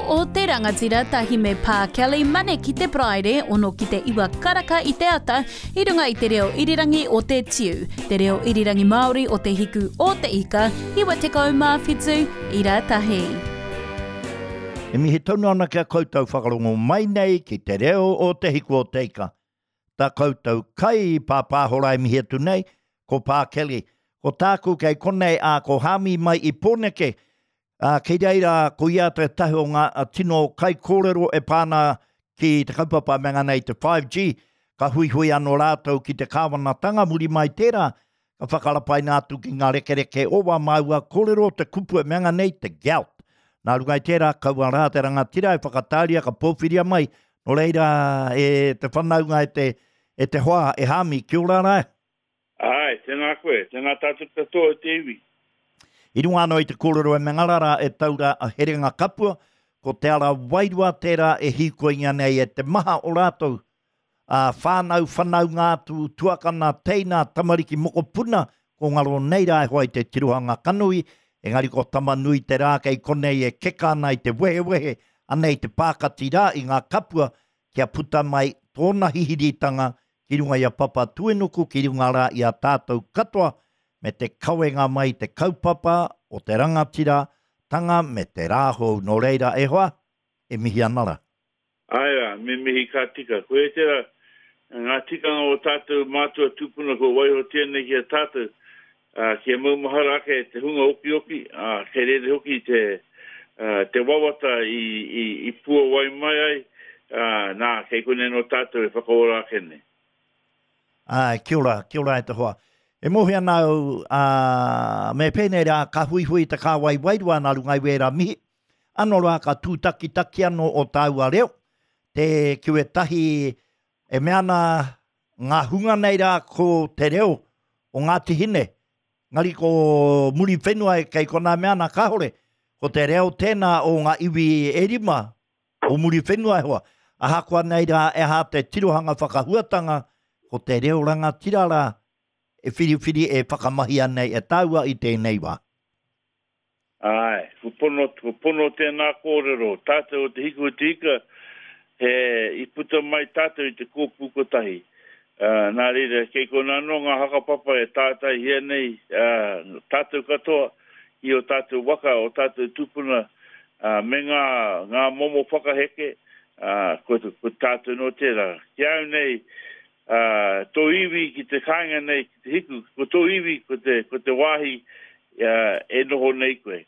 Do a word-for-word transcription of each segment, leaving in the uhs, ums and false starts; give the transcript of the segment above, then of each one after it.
o te Rangatira tahi me Pā Kelly Mane ki te Paraire, ono ki te iwa karaka i te ata, i runga i te reo irirangi o te Tiu, te reo irirangi Māori o te Hiku o te Ika, iwa tekau mā whitu, ira tahi. E mihi tonu ana kia koutou whakarongo mai nei ki te reo o te Hiku o te Ika. Tā koutou kai pāpāhora e mihi atu nei, ko Pā Kelly. Ko tāku kei konei a ko Hami mai i Pōneke, ā, kei reira ko ia tētahi o ngā tino kaikōrero e pā ana ki te kaupapa me ngana i te five G, ka huihui anō rātou ki te kāwanatanga muri mai tērā, ka whakarapaina atu ki ngā rekereke o wā māua kōrero te kupu e mea nei te gout. Nā runga i tērā, kaua rā te rangatira e whakatāria ka pōwhiria mai, nō reira e te whanaunga e te, e te hoa e Hami, kia ora rā. Āe, tēnā koe, tēnā tātou katoa e te iwi. I runga anō i te kōrero e mea rā e taura a Herenga Kapua, ko te ara wairua tērā e hīkoingia nei e te maha o rātou, ā, whānau, whanaunga atu, tuakana, teina, tamariki, mokopuna, ko ngaro nei rā e hoa i te tirohanga kanohi, engari ko Tamanui te rā kei konei e keka ana i te wehewehe, anei te pākati rā i ngā kapua, kia puta mai tōna hihiritanga ki runga i a Papatūānuku, ki runga rā i a tātou katoa, me te kawenga mai te kaupapa o te rangatira tanga me te rā hou. Nō reira e hoa, e mihi ana rā. Āe rā, me mihi ka tika. Ko ētera ngā tikanga o tātou mātua tūpuna kua waihotia nei ki a tātou, ā, kia maumahara ake te hunga okioki, ā, kei reira hoki te, ā, te wawata i, i, i puawai mai ai, ā, nā, kei konei nō tātou e whakaora ake nei. Āe, kia ora, kia ora e te hoa. E mōhio ana au, ā, me pēnei rā, ka huihui te kāwai wairua nā runga i wērā mihi. Anō rā, ka tūtakitaki anō o tāua reo, te ki wētahi e mea ana ngā hunga nei rā ko te reo o Ngāti Hine. Engari ko Muriwhenua e kei konā mea ana kāore, ko te reo tēnā o ngā iwi e rima o Muriwhenua e hoa. Ahakoa nei rā e aha te tirohanga whakahuatanga, ko te reo rangatira rā e whiriwhiri e whakamahia nei e tāua i tēnei wā. Āe, ko pono, ko pono tēnā kōrero, tātou o te Hiku o te Ika, he, i puta mai tātou i te kōpū kotahi. Uh, nā reira, kei konā anō ngā hakapapa e tātaihia nei, uh, tātou katoa i o tātou waka, o tātou tūpuna, uh, me ngā, ngā momo whakaheke, uh, ko, ko tātou nō tērā. Ki au nei, uh, tō iwi ki te kāinga nei, ki te hiku, ko tō iwi, ko te, ko te wāhi uh, e noho nei koe,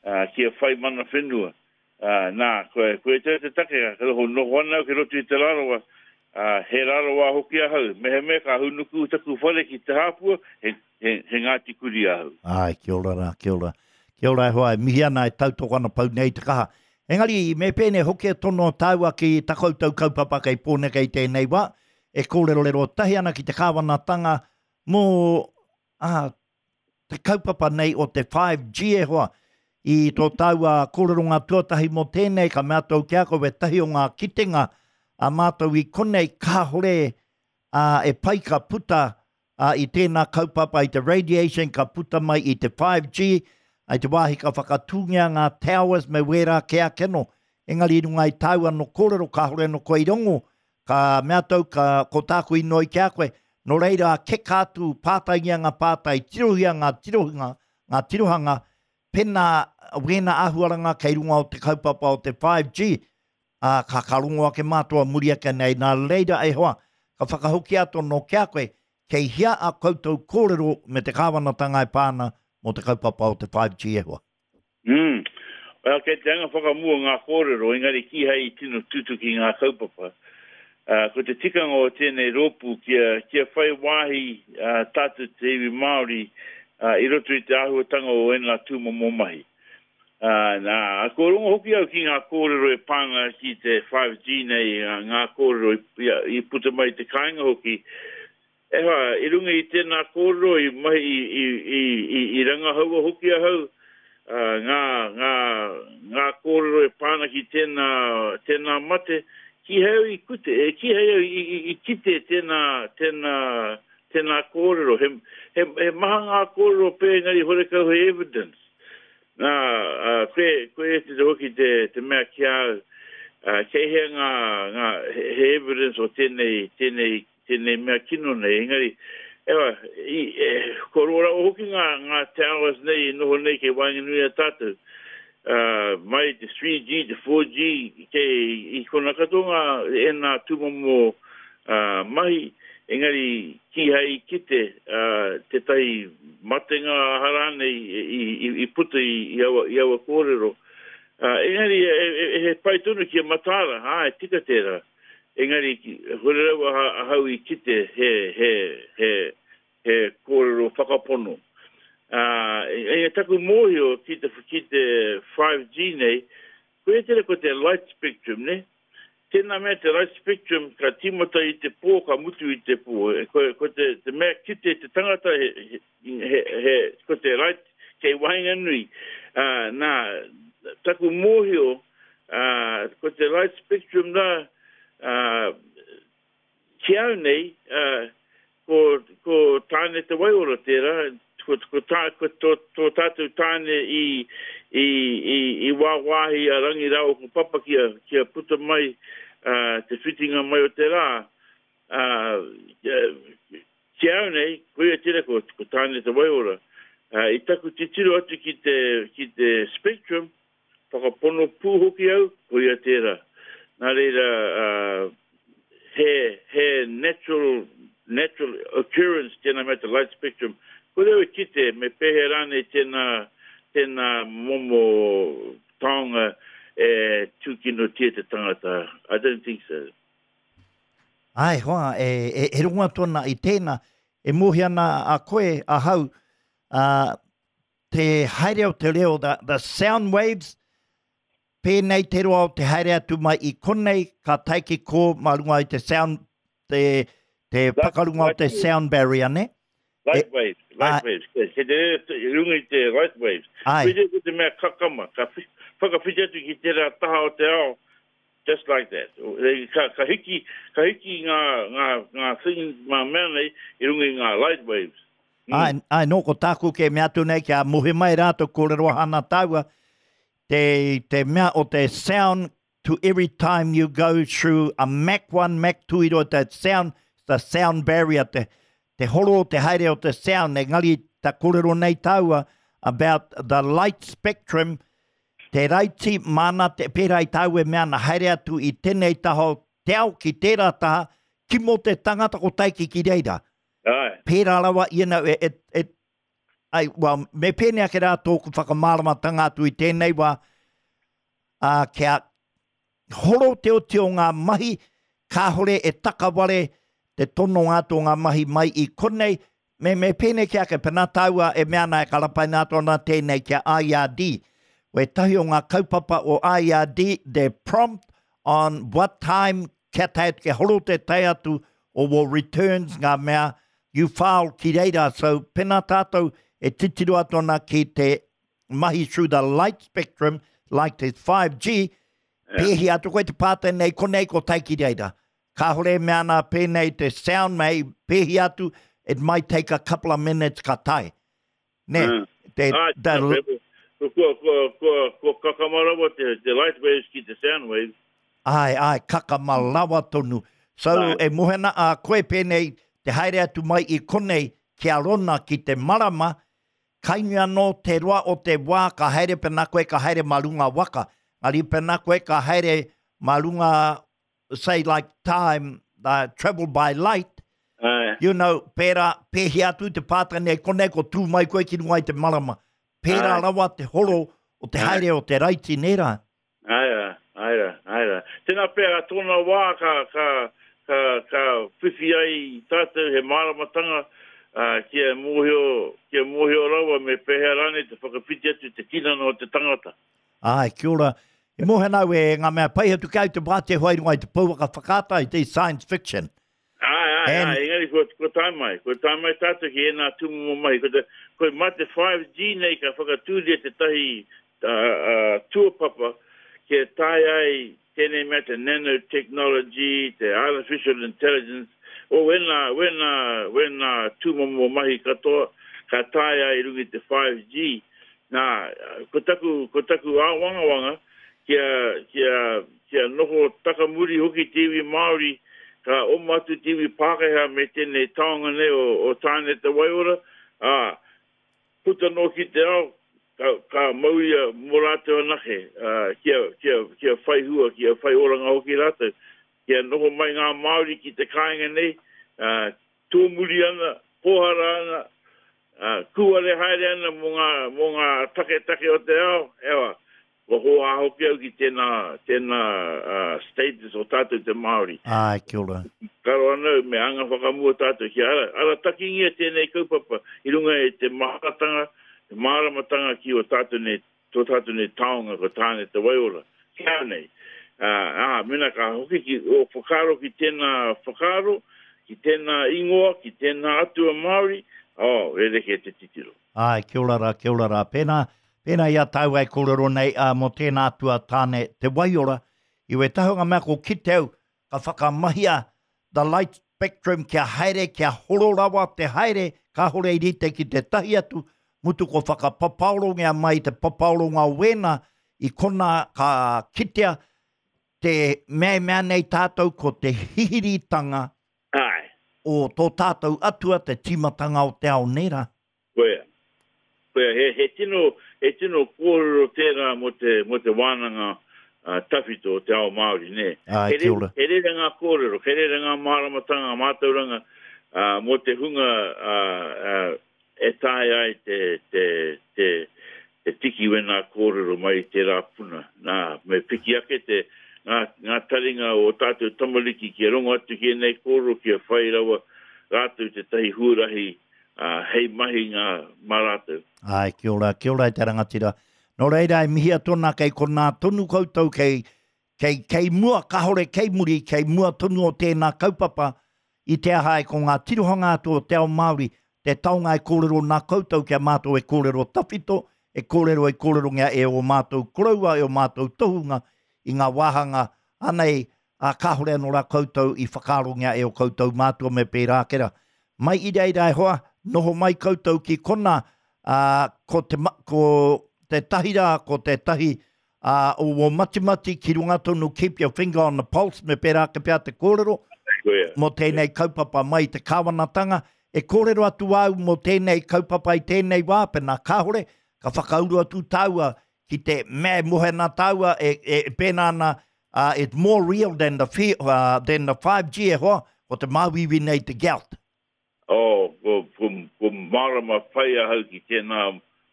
uh, kia whai mana whenua. Uh, nā, koe, koe te te take, ka noho, noho ana au ki roto i te Rarawa, uh, he Rarawa hoki ahau. Mehemea ka hunuku taku whare ki te hāpua, he, he, he Ngāti Kuri ahau. Ai, kia ora rā, kia ora. Kia ora e hoa, e mihi ana e tautoko ana pau nei te kaha. Engari, me pēnei hoki e tono tāua ki ta koutou kaupapa kei Pōneke i tēnei wā, e kōrerorero tahi ana ki te kāwanatanga mō ah, te kaupapa nei o te five G e hoa. I tō tāua kōreronga tuatahi mō tēnei, ka mea tou ki a koe wētahi o ngā kitenga a mātou i konei kāhore a, e pai ka puta a, i tēnā kaupapa i te radiation ka puta mai i te five G, ai te wāhi ka whakatūngia ngā towers me wērā ke ake no. Engari i runga i tāua no kōrero kāhore no koe i rongo, ka mea tau ka, ko tāku inoi ki a koe, nō reira keka atu pātaingia ngā pātai, tirohia ngā tirohanga, ngā tirohanga, pena wēnā āhuaranga kei runga o te kaupapa o te five G, ā, ka, ka rongo ake mātua muri ake nei, nā reira e hoa, ka whakahoki atu nō ki a koe, kei hia a koutou kōrero me te kāwanatanga e pā ana mō te kaupapa o te five G e hoa. Mm. Well, kei te anga whakamua ngā kōrero, engari kīhai i tino tutuki ngā kaupapa. Uh, ko te tikanga o tēnei rōpū kia, kia whai wāhi uh, tātou te iwi Māori uh, i roto i te āhuatanga o ēnā tūmomo mahi. Uh, nā, ko rongo hoki au ki ngā kōrero e pānga ki te five G nei, ngā kōrero i, i, i puta mai te kāinga hoki. E hoa, i runga i tēnā kōrero, i mahi i, i, i, i, i rangahaua hoki ahau, uh, ngā, ngā, ngā kōrero e pāna ki tēnā, tēnā mate, kīhai au i kute, e, kīhai au i, i, i kite tēnā, tēnā, tēnā kōrero. He, he, he maha ngā kōrero pē engari horekau he evidence. Nā, uh, koe, koe e te hoki te, te mea ki au, uh, kei hea ngā, ngā, he, he evidence o tēnei, tēnei, tēnei mea kino nei, engari, ewa, i, e, ko rora o hoki ngā, ngā towers nei i noho nei kei waenganui a tātou, uh, mai te three G, te four G, kei i kona katoa ngā e nā tūmomo uh, mahi, engari kīhai i kite uh, tētahi matenga harane i, i, i, i puta i, i, aua, i aua kōrero. Uh, engari, e, e, e, he pai tonu ki a mataara, ā, e tika tērā. Engari, hore rawa ahau i kite he, he, he, he kōrero whakapono. Uh, e, taku mōhio ki te, ki te five G nei, koe e tere ko te light spectrum, ne? Tēnā mea te light spectrum ka tīmata i te pō, ka mutu i te pō. E, ko, ko te, te mea kite te tangata, he, he, he, he, ko te light kei waenganui. Uh, nā, taku mōhio, uh, ko te light spectrum nā, uh, ki au nei, uh, ko, ko tāne te waiora tērā, ko, ko, tā, ko tō, tō tātou tāne i, i, i, i wāwāhi a Rangi rāua ko Papa kia, kia puta mai uh, te whitinga mai o te rā. Uh, ki au nei, koia tērā ko, ko tāne te waiora. Uh, i taku titiro atu ki te, ki te spectrum, whakapono pū hoki au, koia tērā. Nā reira, uh, he, he natural, natural occurrence tēnā mea te light spectrum. Ko reo e kite, me pēhea rānei tēnā, tēnā momo taonga e tūkinotia te tangata. I don't think so. Ai, hoa, e, e, e rongo atu ana i tēnā, e mōhio ana a koe, ahau, uh, te haere o te reo, the, the sound waves, pēnei te roa o te haere atu mai i konei, ka tae ki kō mā runga i te sound, te, te pakarunga o te sound barrier, ne? Light waves, light waves. Ke te runga i te light waves. Ai. Koe te mea kakama, ka whakawhiti atu ki tērā taha o te ao, just like that. Ka, ka hiki, ka hiki ngā, ngā, ngā thing, ngā mea nei i runga i ngā light waves. Mm. Ai, ai, nō, ko tāku ke mea atu nei, kia mohi mai rātou kōrero hana tāua, te, te mea o te sound to every time you go through a Mach one, Mach two, i roa te sound, the sound barrier, te, te horo, te haere o te sound, engari ta kōrero nei tāua about the light spectrum, te raiti mana, te pērā i tāua e mea ana haere atu i tēnei taha o te ao ki tērā taha, kimo te tangata ko taiki ki reira. Ai. Pērā rawa, you know, e, e, e, ai, well, me pēnei ake rā tōku whakamāramatanga atu i tēnei wā, uh, kia horo te oti o ngā mahi, kāhore e takaware te tononga atu o ngā mahi mai i konei, me, me pēnei ki ake, pēnā tāua e mea ana e karapaina atu ana tēnei kia I R D. Wētahi o ngā kaupapa o I R D, they prompt on what time kia tae atu, kia horo te tae atu o wō returns ngā mea you file ki reira. So pēnā tātou e titiro atu ana ki te mahi through the light spectrum, like te five G, Yeah. pēhi atu koe te pātai nei, konei ko tae ki reira. Kāhore e mea ana pēnei te sound mei, pēhi atu, it might take a couple of minutes ka tae. Ne, Mm. te, Ah, the, Ko, ko, ko, ko, ko kakama rawa te, te light waves ki te sound waves. Ai, ai, kakama rawa tonu. So, Ai. e mohena a koe pēnei, te haere atu mai i konei, kia rona ki te marama, kainui anō te roa o te wā, ka haere pēnā koe, ka haere mā runga waka. Ngari pēnā koe, ka haere mā runga, say like time, uh, travel by light, Ai. you know, pērā, pēhi atu te pātai nei, konei ko tū mai koe ki runga i te marama. Pērā Ai. rawa te horo o te Ai. haere o te raiti, nē rā? Ai rā, ai rā, ai rā. Tēnā pēr, a tōna wā ka, ka, ka, ka whiwhi ai tātou he māramatanga, uh, kia mōhio, kia mōhio rawa me pēhea rānei te whakawhiti atu te tinana o te tangata. Ai, kia ora. E mōhio nau e ngā mea pai atu kau te wā te hoa i runga i te pouaka whakaata i te science fiction. Ai, ai, And ai, engari ko, ko tae mai, ko tae mai tātou ki ēnā tūmomo mahi. Ko, te, ko mā te five G nei ka whakatūria te tahi, uh, uh, tuapapa kia tae ai tēnei mea te nanotechnology, te artificial intelligence, o wēnā, wēnā, wēnā tūmomo mahi katoa ka tae ai runga i te five G. Nā, ko taku, ko taku āwangawanga, kia, kia, kia noho takamuri hoki te iwi Māori, ka oma atu te iwi Pākehā me tēnei taonga nei o, o Tāne Te Waiora, ā, puta noa ki te ao, ka, ka mauria mō rātou anake, ā, kia, kia, kia whai hua, kia whai oranga hoki rātou, kia noho mai ngā Māori ki te kāinga nei, ā, tōmuri ana, pōhara ana, ā, kūare haere ana mō ngā, mō ngā taketake o te ao, ewa, kua hōhā hoki au ki tēnā, tēnā uh, status o tātou te Māori. Āe, kia ora. Karo ana au, me anga whakamua tātou kia ara, aratakingia tēnei kaupapa i runga i te maharatanga, te māramatanga ki o tātou nei, tō tātou nei taonga ko Tāne Te Waiora. Kia nei. Ā, ā, mena ka hoki ki o whakaaro ki tēnā whakaaro, ki tēnā ingoa, ki tēnā atua Māori, oh, rerekē te titiro. Āe, kia ora rā, kia ora rā. Pēnā, pēnā i a tāua e kōrero nei ā, mō tēnā atua Tāne Te Waiora, i wētahi o ngā mea ko kite au, ka whakamahia the light spectrum kia haere, kia horo rawa te haere, kāhore i rite ki te tahi atu, mutu ko whakapapaorongia mai te papaoronga o wēnā, i konā ka kitea te mea e mea nei tātou ko te hihiritanga Āe. o tō tātou atua, te tīmatanga o te ao, nē rā? Koia. Koia, he, he tino, he tino kōrero tērā mō te, mō te wānanga uh, tawhito o te ao Māori, nē. Āe, He kia re, ora. he rere ngā kōrero, he rere ngā māramatanga, mātauranga uh, mō te hunga uh, uh, e taea ai te, te, te, te tiki wēnā kōrero mai i tērā puna. Nā, me piki ake te, ngā, ngā taringa o tātou tamariki kia rongo atu ki ēnei kōrero, kia whai rawa rātou tētahi huarahi uh, hei mahinga mā rātou. Āe, kia ora, kia ora e te rangatira. Nō reira, e mihi atu ana kei konā tonu koutou, kei, kei, kei mua, kāhore kei muri, kei mua tonu o tēnā kaupapa, i te aha e ko ngā tirohanga atu o te ao Māori, te taonga e kōrero nā koutou kia mātou e kōrero tawhito, e kōrero e kōrerongia e o mātou koroua, e o mātou tohunga i ngā wāhanga anei, ā, kāhore anō rā koutou i whakaarongia e o koutou mātua me pērā ake rā. Mai i reira e hoa, noho mai koutou ki konā, ā, ko te, ko te tahi rā, ko te tahi ā, o wō matimati ki runga tonu keep your finger on the pulse me pērā ake pea te kōrero Koia. mō tēnei kaupapa mai i te kāwanatanga. E kōrero atu au mō tēnei kaupapa i tēnei wā, pēnā kāhore, ka whakauru atu tāua ki te mea e mohe ana tāua e, e, e pēnā ana, uh, it's more real than the, fi, uh, than the five G e hoa, ko te māuiui nei te gout. Oh, ko, ko, ko mārama pai ahau ki tēnā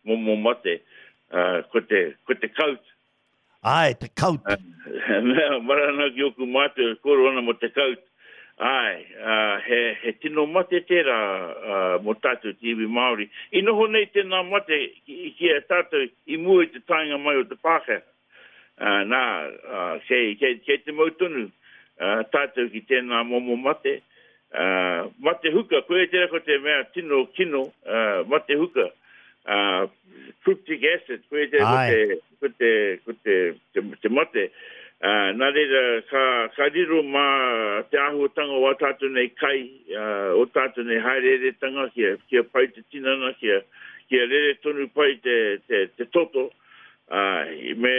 momo mate, uh, ko te, ko te gout. Āe, te gout. Uh, mea, marana ki oku mātou e kōrero ana mō te gout. Āe, uh, he, he tino mate tērā uh, mō tātou te iwi Māori. I noho nei tēnā mate ki, ki a tātou i mua i te taenga mai o te Pākehā. Uh, nā, uh, kei, kei, kei te mau tonu uh, tātou ki tēnā momo mate. Uh, mate huka, koe tērā ko te mea tino kino, uh, mate huka. Uh, cryptic acid, koe tērā ko Āe. te, ko te, ko te, te, te mate. Uh, nā reira, ka, ka riro mā te āhuatanga o ā tātou nei kai, uh, o tātou nei haereeretanga, kia, kia pai te tinana, kia, kia rere tonu pai te, te, te toto. Uh, me,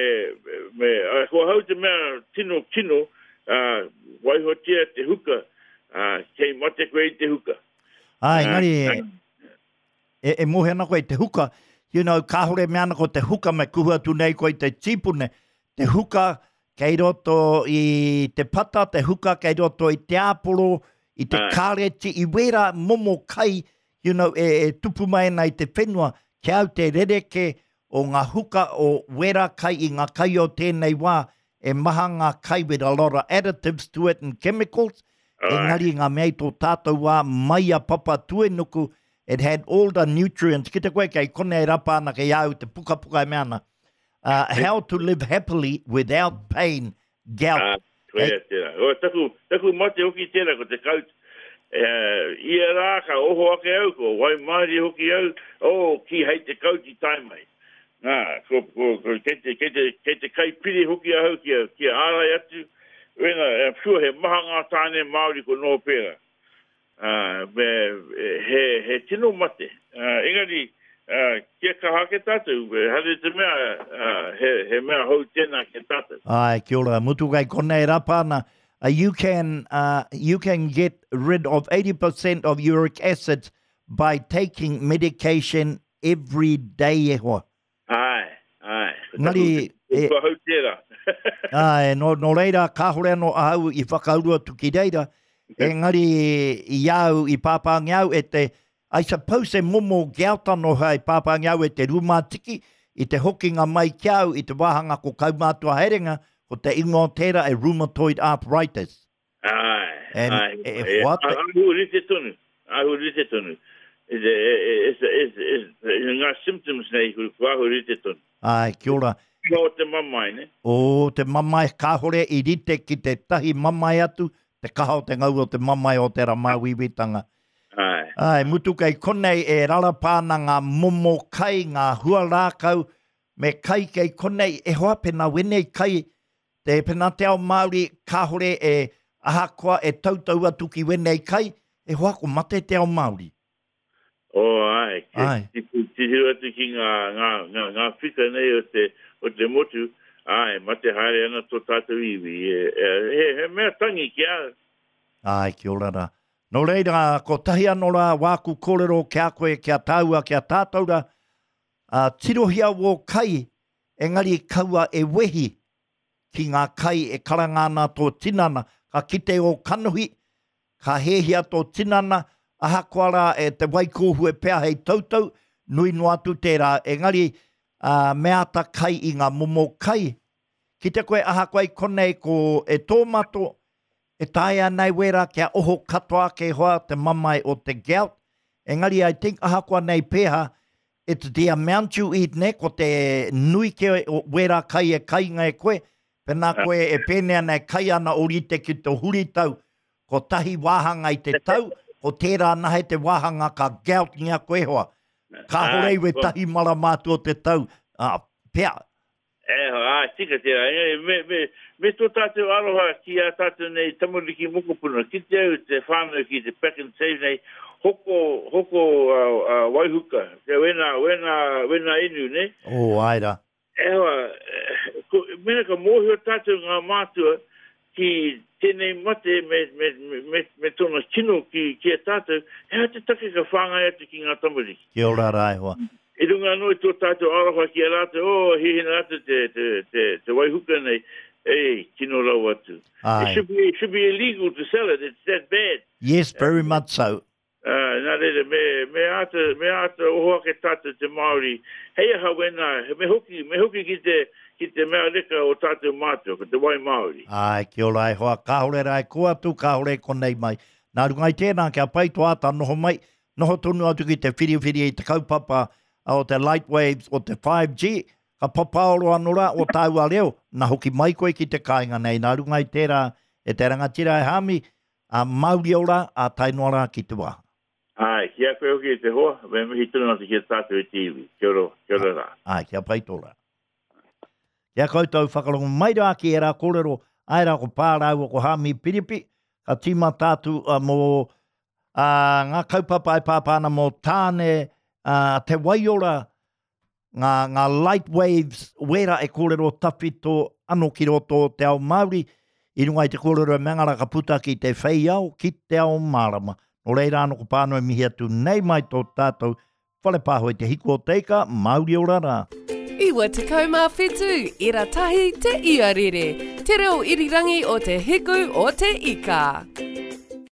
me, uh, ko ahau te mea tino kino, uh, waihotia te huka, uh, kei mate koe i te huka. Āe, engari Uh, e, e, e mohe ana koe i te huka, you know, kāhore mea ana ko te huka me kuhu atu nei koe i te tīpune, te huka kei roto i te pata, te huka kei roto i te āporo, i te Āe. kāreti, i wērā momo kai, you know, e, e tupu mai ana i te whenua, kia au te rereke o ngā huka o wērā kai i ngā kai o tēnei wā, e maha ngā kai with a lot of additives to it and chemicals, Āe. engari ngā mea i tō tātou wā mai a Papatūānuku, it had all the nutrients. Ki te koe kei kone e rapa ana kei au te pukapuka e mea ana. Uh, how to live happily without pain, gout. Ah, koia tērā. O, taku, taku mate hoki tērā ko te gout. Uh, ia rā ka oho ake au, ko waimārie hoki au, oh, ki hei te gout i tae mai. Nā, ko, ko, ko, kei te, kei te, kei te kai piri hoki ahau kia, kia ārai atu. Wena, I'm sure he maha ngā tāne Māori ko noho pērā. Uh, me, he, he tino mate. Uh, engari, uh, kia kaha ake tātou, haere te mea, uh, he, he mea hou tēnā ki tātou. Ai, kia ora, mutu kai konei rapa ana, uh, you can, uh, you can get rid of eighty percent of uric acid by taking medication every day e hoa. Ai, ai. Ngari, e, kua hau tērā. Ai, no, no reira, kāhore anō ahau i whakauru atu ki reira, engari i au, i pāpāngi au e te, I suppose e momo gout anō hei pāpāngi au e te rūmātiki, i te hokinga mai ki au, i te wāhanga ko kaumātua haerenga, ko te ingoa o tērā e rheumatoid arthritis. Ai, And, ai. e, e, hoa te... Ahu rite tonu, ahu rite tonu. It's, it's, it's, it's, ngā symptoms nei, ko ahu rite tonu. Ai, kia ora. O te mamae, ne? O te mamae, kāhore i rite ki te tahi mamae atu, te kaha o te ngau o te mamae o te ramāwiwitanga. Ai. Ai, mutu kei konei e rarapa ana ngā momo kai, ngā hua rākau, me kai kei konei, e hoa pena wenei kai, te pena te ao Māori, kāhore e ahakoa e tautau atu ki wenei kai, e hoa ko mate te ao Māori. O, ai, Ai. Titiro atu ki ngā, ngā, ngā, ngā whika nei o te, o te motu, ai, mate haere ana tō tātou iwi. E, e, he, he mea tangi ki a. Ai, kia ora rā. Nō reira, ko tahi anō rā, wāku kōrero kia koe, kia tāua, kia tātou rā, uh, tirohia wō kai, engari kaua e wehi ki ngā kai e karanga ana tō tinana, ka kite o kanohi, ka hehia tō tinana, ahakoa rā e te waikōhu e pea hei tautau, nui noa atu tērā, engari uh, me ata kai i ngā momo kai. Ki te koe ahakoa i konei ko e tōmato, e taea nei wera kia oho katoa ke hoa te mamae o te gout. Engari, I think ahakoa nei pēha, it's the amount you eat ne, ko te nui ke o wera kai e kainga e koe, pēnā koe e pēnea nei kai ana o rite ki te huritau, ko tahi wāhanga i te tau, ko tērā nahe te wāhanga ka gout ngia koe hoa. Kāhore i we tahi marama atu o te tau, ah, pea. E, ai, tika tērā. E, me, me, me tō tātou aroha ki a tātou nei tamariki mokopuna. Ki te au te whānau ki te pack and save nei, hoko, hoko uh, uh, waihuka. Te wena, wena, wena inu, ne? O, ai rā. E hoa, ko, mena ka mōhio tātou ngā mātua ki tēnei mate me, me, me, me, me tōna kino ki, ki a tātou, he aha te take ka whāngai atu ki ngā tamariki. Kia ora rā e hoa. I runga anō i tō tātou aroha ki a rātou, oh, hihina rātou te, te, te, te waihuka nei, ei, kino rau atu. Ai. It should be, it should be illegal to sell it, it's that bad. Yes, very much so. Uh, nā reira, me, me āta, me āta oho ake tātou te Māori, hei aha wena, me hoki, me hoki ki te, ki te mea reka o tātou mātua, ko te wai Māori. Ai, kia ora e hoa, kāhore rā e ko atu, kāhore e konei mai. Nā runga i tēnā, kia pai tō āta noho mai, noho tonu atu ki te whiriwhiri i te kaupapa o te light waves o te five G, ka papaoro anō rā o tāua reo, nā hoki mai koe ki te kāinga nei. Nā runga i tērā e te rangatira e Hāmi, a Māori ora, a tae noa rā ki te wā. Ai, kia koe hoki e te hoa, me mihi tonu atu ki a tātou e te iwi. Kia ora, kia ora rā. Ai, kia pai tō rā. Kia koutou whakarongo mai rā ki e rā kōrero, ai rā ko Pā rāua ko Hāmi Piripi, ka tīmata atu uh, mō uh, ngā kaupapa e pāpā ana mō Tāne, uh, te waiora, ngā, ngā light waves, wera e kōrero tawhito anō ki roto o te ao Māori, i runga i te kōrero e mengara ka puta ki te whei ao, ki te ao mārama. Nō reira anō ko pānui mihi atu nei mai tō tātou whare pāho i te hiku o te ika, Māori ora rā. Iwa tekau mā whitu, ira tahi te iarere. Te reo irirangi o te hiku o te ika.